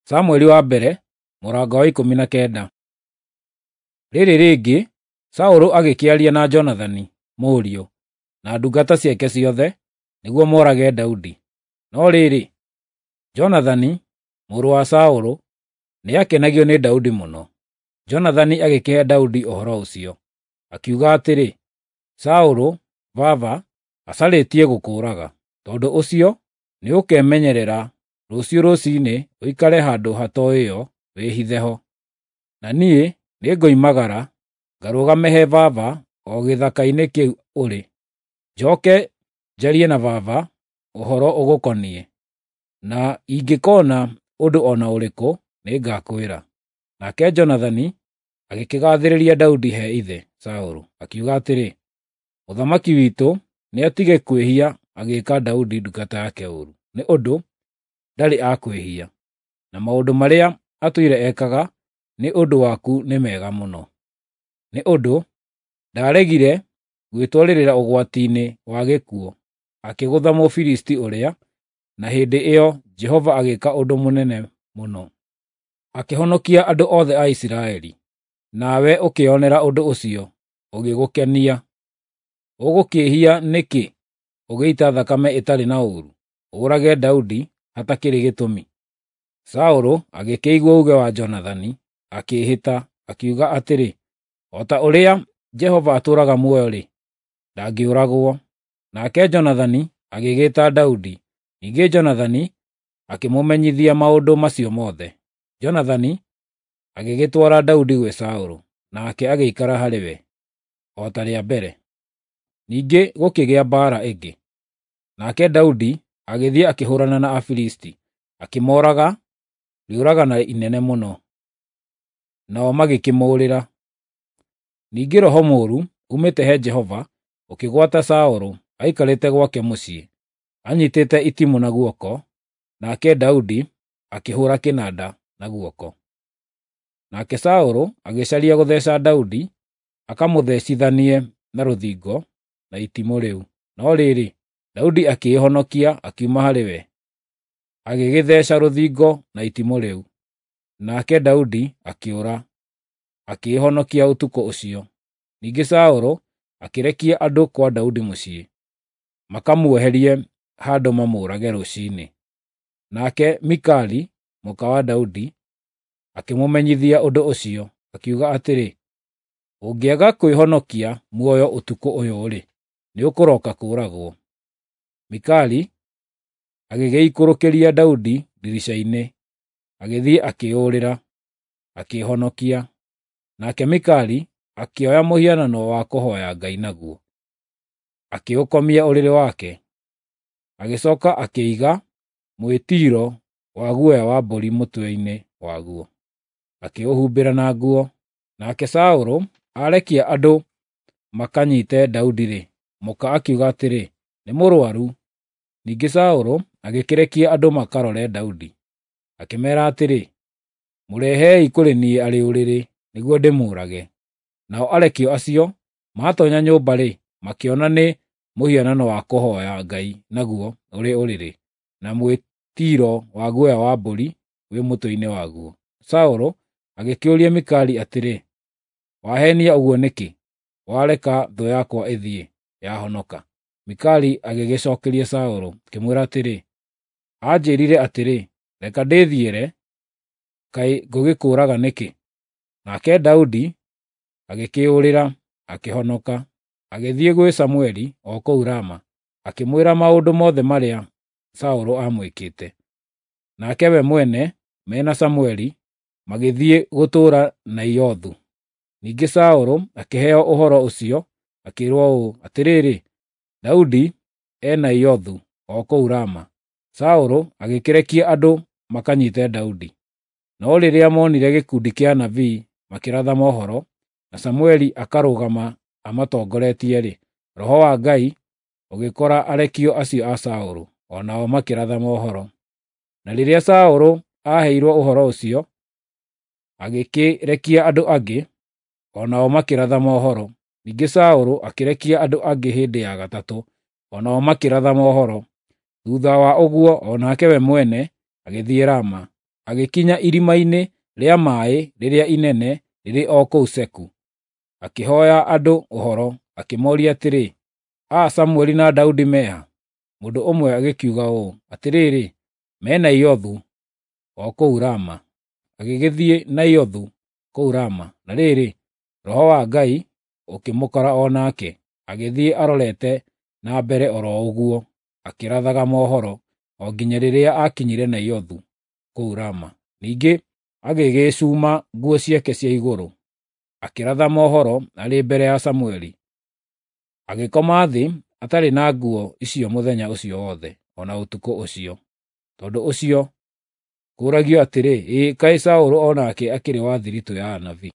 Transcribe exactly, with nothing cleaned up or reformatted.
Samueli wa mbere mũrango wa ikũmi na kenda. Rĩrĩ rĩngĩ, Saũlũ agĩkĩaria na Jonathani mũriũ, na ndungata ciake ciothe, nĩguo moorage Daudi. No rĩrĩ, Jonathani mũrũ wa Saũlũ nĩakenagio nĩ Daudi mũno. Jonathani agĩkĩhe Daudi ũhoro ũcio, akiuga atĩrĩ, “Saũlũ, baba, acarĩtie gũkũũraga. Tondũ ũcio nĩũkemenyerera rũciũ rũciinĩ ũikare handũ hatoĩo wĩhithe ho. Na niĩ nĩngoimagara ngarũgame he baba o gĩthaka-inĩ kĩu ũrĩ. Njooke njarie na baba ũhoro ũgũkoniĩ, na ingĩkoona ũndũ o na ũrĩkũ nĩngakwĩra.” Nake Jonathani agĩkĩgaathĩrĩria Daudi he ithe Saũlũ, akiuga atĩrĩ, “Mũthamaki witũ nĩatige kwĩhia agĩĩka Daudi ndungata yake ũũru, nĩ ũndũ ndarĩ akwĩhia, na maũndũ marĩa atũire ekaga nĩ ũndũ waku nĩ mega mũno. Nĩ ũndũ ndaaregire gwĩtwarĩrĩra ũgwati-inĩ wa gĩkuũ, akĩgũtha Mũfilisti ũrĩa, na hĩndĩ ĩyo Jehova agĩĩka ũndũ mũnene mũno, akĩhonokia andũ othe a Isiraeli. Nawe ũkĩĩonera ũndũ ũcio, ũgĩgũkenia. Ũgũkĩĩhia nĩkĩ ũgĩita thakame ĩtarĩ na ũũru, ũũrage Daudi hatakĩrĩ gĩtũmi?” Saũlũ agĩkĩigua uuge wa Jonathani, akĩĩhĩta, akiuga atĩrĩ, “O ta ũrĩa Jehova atũũraga muoyo-rĩ, ndangĩũragwo.” Nake Jonathani agĩgĩĩta Daudi, ningĩ Jonathani akĩmũmenyithia maũndũ macio mothe. Jonathani agĩgĩtwara Daudi gwĩ Saũlũ, nake agĩikara harĩ we, o ta rĩa mbere. Ningĩ gũkĩgĩa mbaara ĩngĩ. Nake Daudi agĩthiĩ akĩhũũrana na Afilisti, akĩmooraga rĩũragana inene mũno, nao magĩkĩmũũrĩra. Ningĩ roho mũũru uumĩte he Jehova ũkĩgwata Saũlũ aikarĩte gwake mũciĩ, anyiitĩte itimũ na guoko, nake Daudi akĩhũũra kĩnanda na guoko. Nake Saũlũ agĩcaria gũtheeca Daudi akamũthecithanie na rũthingo na itimũ rĩu. No rĩrĩ, Daudi akĩĩhonokia akiuma harĩ we, agĩgĩtheeca rũthingo na itimũ rĩu. Nake Daudi akĩũra, akĩĩhonokia ũtukũ ũcio. Ningĩ Saũlũ akĩrekia andũ kwa Daudi mũciĩ, makamuoherie handũ mamũũrage rũciinĩ. Nake Mikali, mũka wa Daudi, akĩmũmenyithia ũndũ ũcio, akiuga atĩrĩ, “Ũngĩaga kwĩhonokia muoyo ũtukũ ũyũ-rĩ, nĩũkũroka kũũragwo.” Mikali agĩgĩikũrũkĩria Daudi ndirica-inĩ, agĩthiĩ akĩĩyũrĩra, akĩĩhonokia. Nake Mikali akĩoya mũhianano wa kũhooya Ngai naguo, akĩũkomia ũrĩrĩ wake. Agĩcooka akĩiga mwĩtiiro wa guoya wa mbũri mũtwe-inĩ waguo, akĩũhumbĩra na nguo. Nake Saũlũ aarekia andũ makanyiite Daudi-rĩ, mũka akiuga atĩrĩ, “Nĩ mũrũaru.” Ningĩ Saũlũ agĩkĩrekia andũ makarore Daudi, akĩmeera atĩrĩ, “Mũrehei kũrĩ niĩ arĩ ũrĩrĩ, nĩguo ndĩmũũrage.” Nao arekio acio maatoonya nyũmba-rĩ, makĩona nĩ mũhianano wa kũhooya Ngai naguo ũrĩ ũrĩrĩ, na mwĩtiiro wa guoya wa mbũri wĩ mũtwe-inĩ waguo. Saũlũ agĩkĩũria Mikali atĩrĩ, “Waheenia ũguo nĩkĩ, wareka thũ yakwa ĩthiĩ, yahonoka?” Mikali agĩgĩcookeria Saũlũ, akĩmwĩra atĩrĩ, “Anjĩĩrire atĩrĩ, ‘Reka ndĩthiĩre, kaĩ ngũgĩkũũraga nĩkĩ?’ ” Nake Daudi agĩkĩĩyũrĩra, akĩhonoka, agĩthiĩ gwĩ Samũeli o kũu Rama, akĩmwĩra maũndũ mothe marĩa Saũlũ aamwĩkĩte. Nake we mwene me na Samũeli magĩthiĩ gũtũũra Naiothu. Ningĩ Saũlũ akĩheo ũhoro ũcio, akĩĩrwo ũũ, “Atĩrĩrĩ, Daudi e Naiothu o kũu Rama.” Saũlũ agĩkĩrekia andũ makanyiite Daudi. No rĩrĩa moonire gĩkundi kĩa anabii makĩratha mohoro, na Samũeli akarũgama amatongoretie-rĩ, Roho wa Ngai ũgĩkora arekio acio a Saũlũ, o nao makĩratha mohoro. Na rĩrĩa Saũlũ aaheirwo ũhoro ũcio, agĩkĩrekia andũ angĩ, o nao makĩratha mohoro. Ningĩ Saũlũ akĩrekia andũ angĩ hĩndĩ ya gatatũ, o nao makĩratha mohoro. Thuutha wa ũguo o nake we mwene agĩthiĩ Rama. Agĩkinya irima-inĩ rĩa maĩ rĩrĩa inene rĩrĩ o kũu Seku, akĩhoya andũ ũhoro, akĩmoria atĩrĩ, “Aa Samueli na Daudi me ha?” Mũndũ ũmwe agĩkiuga ũũ, “Atĩrĩrĩ, me Naiothu, o kũu Rama.” Agĩgĩthiĩ Naiothu kũu Rama, na rĩrĩ, Roho wa Ngai ũkĩmũkora o nake, agĩthiĩ arorete na mbere o ro ũguo akĩrathaga mohoro, o nginya rĩrĩa aakinyire Naiothu kũu Rama. Ningĩ agĩgĩĩcuma nguo ciake cia igũrũ, akĩratha mohoro arĩ mbere ya Samueli. Agĩkoma thĩ atarĩ na nguo icio mũthenya ũcio wothe, o na ũtukũ ũcio. Tondũ ũcio kũũragio atĩrĩ, ĩ kaĩ Saũlũ o nake akĩrĩ wa thiritũ ya anabii?